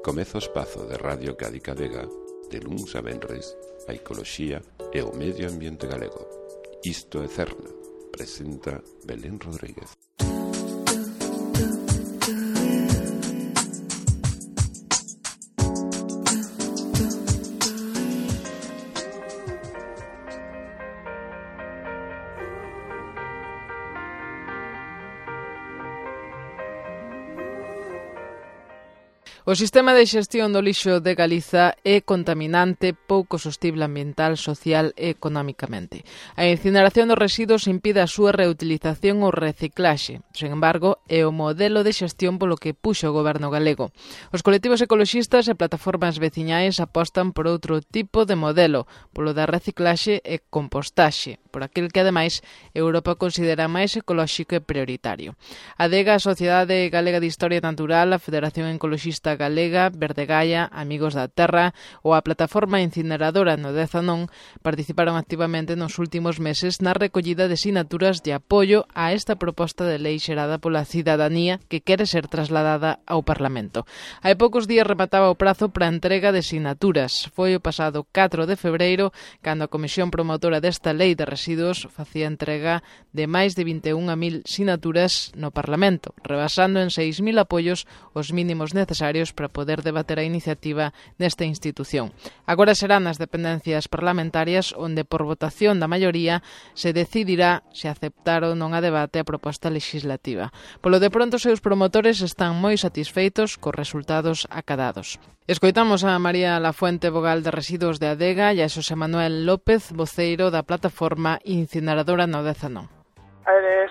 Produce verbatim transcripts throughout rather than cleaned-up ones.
Comeza o espazo de Radio Cádiz Vega de luns a venres a ecoloxía e o medio ambiente galego. Isto é Cerna, presenta Belén Rodríguez. O sistema de xestión do lixo de Galiza é contaminante, pouco sostible ambiental, social e económicamente. A incineración dos residuos impide a súa reutilización ou reciclaxe. Sen embargo, é o modelo de xestión polo que puxo o goberno galego. Os colectivos ecoloxistas e plataformas veciñais apostan por outro tipo de modelo, polo da reciclaxe e compostaxe, por aquel que, ademais, Europa considera máis ecolóxico e prioritario. A DEGA, a Sociedade Galega de Historia Natural, a Federación Ecoloxista Galega, Verdegaia, Amigos da Terra ou a plataforma incineradora no Dezanón participaron activamente nos últimos meses na recollida de sinaturas de apoio a esta proposta de lei xerada pola cidadanía que quere ser trasladada ao Parlamento. Hai poucos días remataba o prazo para a entrega de sinaturas. Foi o pasado catro de febreiro cando a Comisión Promotora desta lei de residuos facía entrega de máis de vinte e un mil sinaturas no Parlamento, rebasando en seis mil apoios os mínimos necesarios para poder debater a iniciativa nesta institución. Agora serán nas dependencias parlamentarias onde por votación da maioría se decidirá se aceptar ou non a debate a proposta legislativa. Polo de pronto, os seus promotores están moi satisfeitos cos resultados acadados. Escoitamos a María Lafuente, vogal de residuos de Adega, e a Xosé Manuel López, voceiro da plataforma incineradora no Dezanón.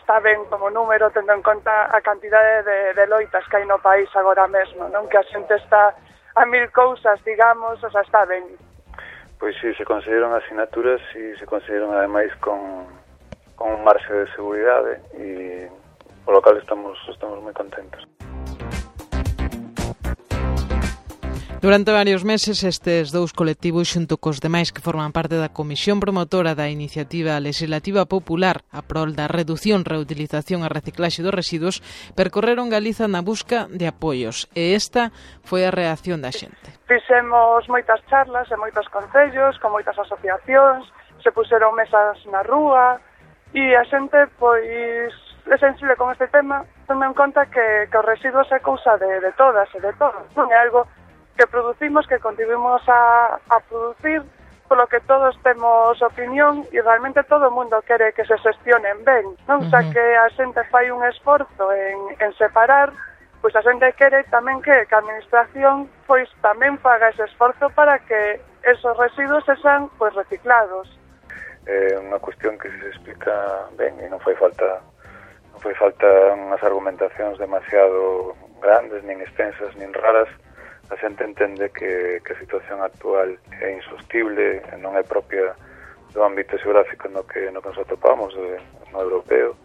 Está ben como número, tendo en conta a cantidade de, de loitas que hai no país agora mesmo, non? Que a xente está a mil cousas, digamos, o sea, está ben. Pois si, se consideran asinaturas e se consideran ademais con, con un marxe de seguridade e polo cal estamos, estamos moi contentos. Durante varios meses, estes dous colectivos, xunto cos demais que forman parte da Comisión Promotora da Iniciativa Legislativa Popular a prol da reducción, reutilización e reciclaxe dos residuos, percorreron Galiza na busca de apoios, e esta foi a reacción da xente. Fixemos moitas charlas en moitos concellos, con moitas asociacións, se puseron mesas na rúa, e a xente, pois, é sensible con este tema, tendo en conta que, que os residuos é cousa de, de todas e de todos, non é algo que producimos, que contribuimos a, a producir, polo que todos temos opinión e realmente todo o mundo quere que se xestionen ben, non? Uh-huh. Xa que a xente fai un esforzo en, en separar, pois a xente quere tamén que, que a administración pois tamén faga ese esforzo para que esos residuos sexan pois reciclados. É unha cuestión que se explica ben e non fai falta non fai falta unhas argumentacións demasiado grandes, nin extensas, nin raras. A xente entende que, que a situación actual é insostible, non é propia do ámbito xeográfico no que, no que nos atopamos, no europeo.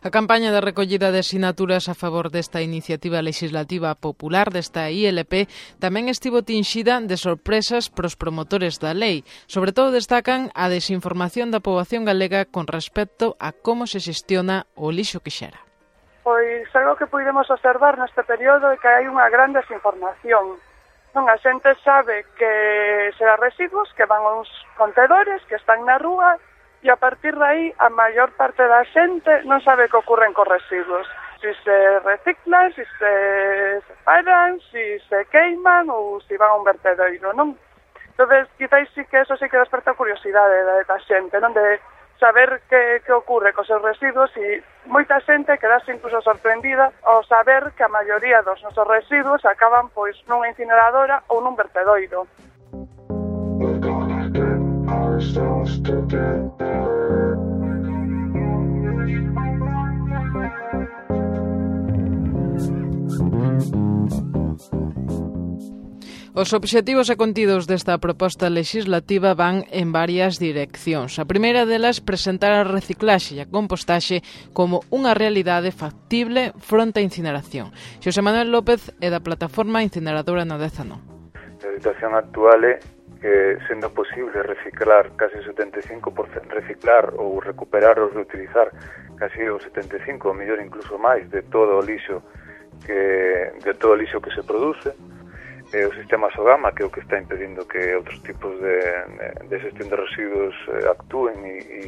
A campaña de recollida de sinaturas a favor desta iniciativa legislativa popular, desta I L P, tamén estivo tinxida de sorpresas pros promotores da lei. Sobre todo destacan a desinformación da poboación galega con respecto a como se xestiona o lixo que xera. Pois algo que podemos observar neste período é que hai unha gran desinformación. Non, a xente sabe que será residuos que van aos contedores que están na rúa e a partir de aí a maior parte da xente non sabe que ocorren cos residuos. Si se reciclan, si se separan, si se queiman ou si van a un vertedoiro, non? Entón, quizás sí que eso sí que desperta curiosidade da, da xente, non? De saber que, que ocorre cos seus residuos e moita xente quedase incluso sorprendida ao saber que a maioría dos nosos residuos acaban pois nunha incineradora ou nun vertedoiro. Os obxectivos e contidos desta proposta legislativa van en varias direccións. A primeira delas, presentar a reciclaxe e a compostaxe como unha realidade factible fronte á incineración. Xosé Manuel López é da plataforma incineradora no Dezanón. A situación actual é que, sendo posible reciclar casi setenta e cinco por cento, reciclar ou recuperar ou reutilizar casi o setenta e cinco, ou mellor incluso máis, de todo o lixo que de todo o lixo que se produce. E o sistema Sogama, que é o que está impedindo que outros tipos de, de xestión de residuos eh, actúen e, e,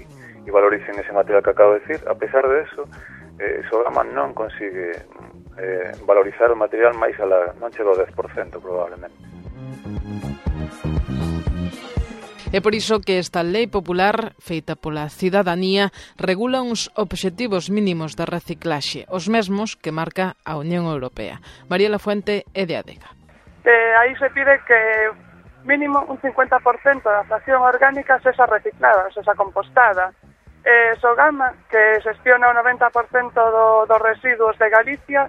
e valoricen ese material que acabo de decir. A pesar de eso, eh, Sogama non consigue eh, valorizar o material máis a la, non chega ao dez por cento probablemente. É por iso que esta lei popular, feita pola cidadanía, regula uns obxectivos mínimos de reciclaxe, os mesmos que marca a Unión Europea. María Lafuente é de Adega. Eh, aí se pide que mínimo un cincuenta por cento da fracción orgánica sexa reciclada, sexa compostada. Eh, Sogama, que xestiona o noventa por cento do, dos residuos de Galicia,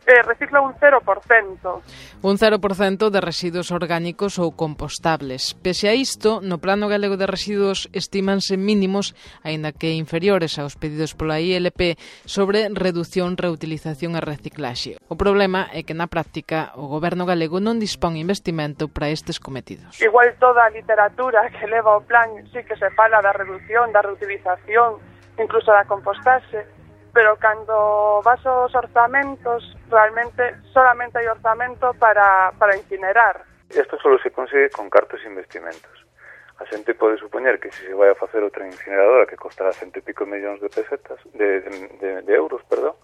eh, recicla un cero por cento. Un cero por cento de residuos orgánicos ou compostables. Pese a isto, no Plano Galego de Residuos estimanse mínimos, aínda que inferiores aos pedidos pola I L P, sobre reducción, reutilización e reciclaxe. O problema é que na práctica o Goberno galego non dispón investimento para estes cometidos. Igual toda a literatura que leva o plan sí que se fala da reducción, da reutilización, incluso da compostaxe, pero cando vas aos orzamentos, realmente solamente hai orzamento para, para incinerar. Isto só se consigue con cartos investimentos. A xente pode supoñer que se se vai a facer outra incineradora que costará cento e pico millóns de pesetas, de, de, de, de euros, perdón,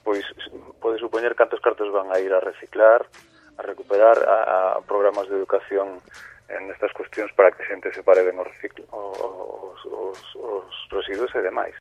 pois pode supoñer cantos cartos van a ir a reciclar, a recuperar, a, a programas de educación en estas cuestións para que a xente se pare ben os, reciclo, os, os, os residuos e demais.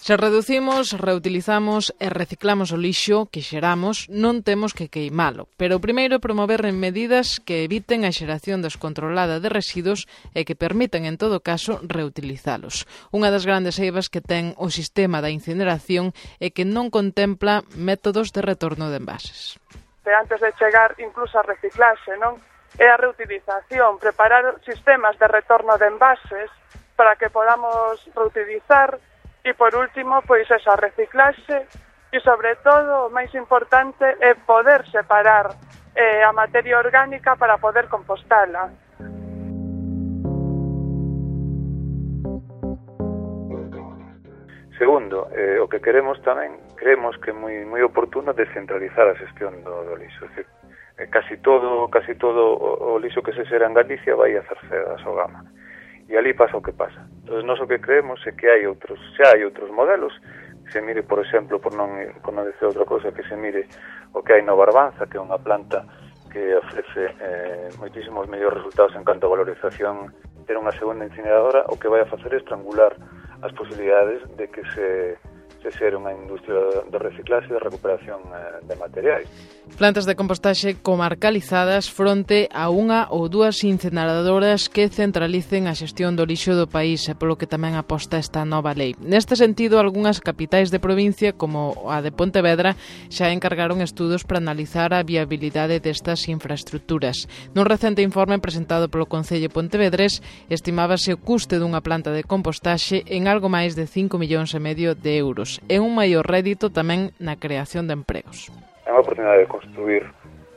Se reducimos, reutilizamos e reciclamos o lixo que xeramos, non temos que queimalo, pero o primeiro é promover medidas que eviten a xeración descontrolada de residuos e que permitan, en todo caso, reutilizalos. Unha das grandes eivas que ten o sistema da incineración é que non contempla métodos de retorno de envases. Antes de chegar incluso a reciclaxe, non? É a reutilización, preparar sistemas de retorno de envases para que podamos reutilizar. E, por último, pois esa reciclaxe e, sobre todo, o máis importante é poder separar eh, a materia orgánica para poder compostala. Segundo, eh, o que queremos tamén, creemos que é moi, moi oportuno descentralizar a xestión do, do lixo. É dicir, eh, casi todo, casi todo o, o lixo que se xera en Galicia vai a hacerse a Sogama. E ali pasa o que pasa. Entón, nós o que creemos é que hai outros, xa hai outros modelos, que se mire, por exemplo, por non, por non dizer outra cosa, que se mire o que hai no Barbanza, que é unha planta que ofrece eh, moitísimos mellores resultados en canto a valorización, ter unha segunda incineradora, o que vai a facer é estrangular as posibilidades de que se, se xere unha industria de reciclaxe e de recuperación eh, de materiais. Plantas de compostaxe comarcalizadas fronte a unha ou dúas incineradoras que centralicen a xestión do lixo do país, e polo que tamén aposta esta nova lei. Neste sentido, algunhas capitais de provincia, como a de Pontevedra, xa encargaron estudos para analizar a viabilidade destas infraestructuras. Nun recente informe presentado polo Concello Pontevedrés, estimábase o custe dunha planta de compostaxe en algo máis de cinco millóns e medio de euros, e un maior rédito tamén na creación de empregos. É unha oportunidade de construir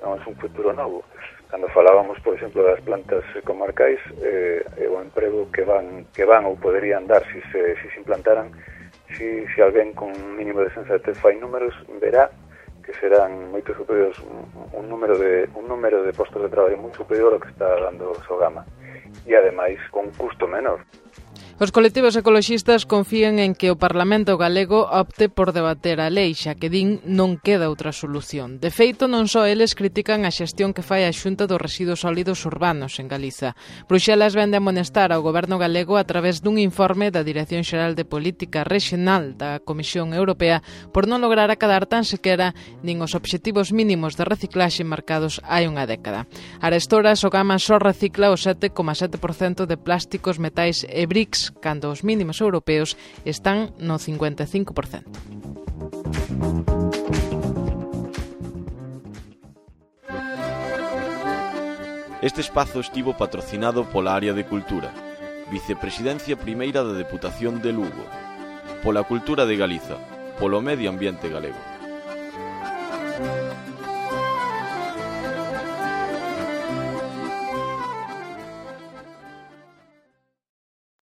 non, un futuro novo. Cando falábamos, por exemplo, das plantas comarcais, eh, é o emprego que van que van ou poderían dar se se, se, se implantaran, se, se alguén con un mínimo de sensatez fai números, verá que serán moito superiores, un, un número de un número de postos de traballo moi superior ao que está dando Sogama, e ademais con un custo menor. Os colectivos ecoloxistas confían en que o Parlamento galego opte por debater a lei, xa que din non queda outra solución. De feito, non só eles critican a xestión que fai a Xunta dos Residuos Sólidos Urbanos en Galiza. Bruxelas vende a amonestar ao Goberno galego a través dun informe da Dirección Xeral de Política Regional da Comisión Europea por non lograr acadar tan sequera nin os obxectivos mínimos de reciclaxe marcados hai unha década. Arestora, Sogama só recicla o sete coma sete por cento de plásticos, metais e brics, cando os mínimos europeos están no cincuenta e cinco por cento. Este espazo estivo patrocinado pola Área de Cultura, Vicepresidencia Primeira da Deputación de Lugo, pola Cultura de Galiza, polo Medio Ambiente Galego.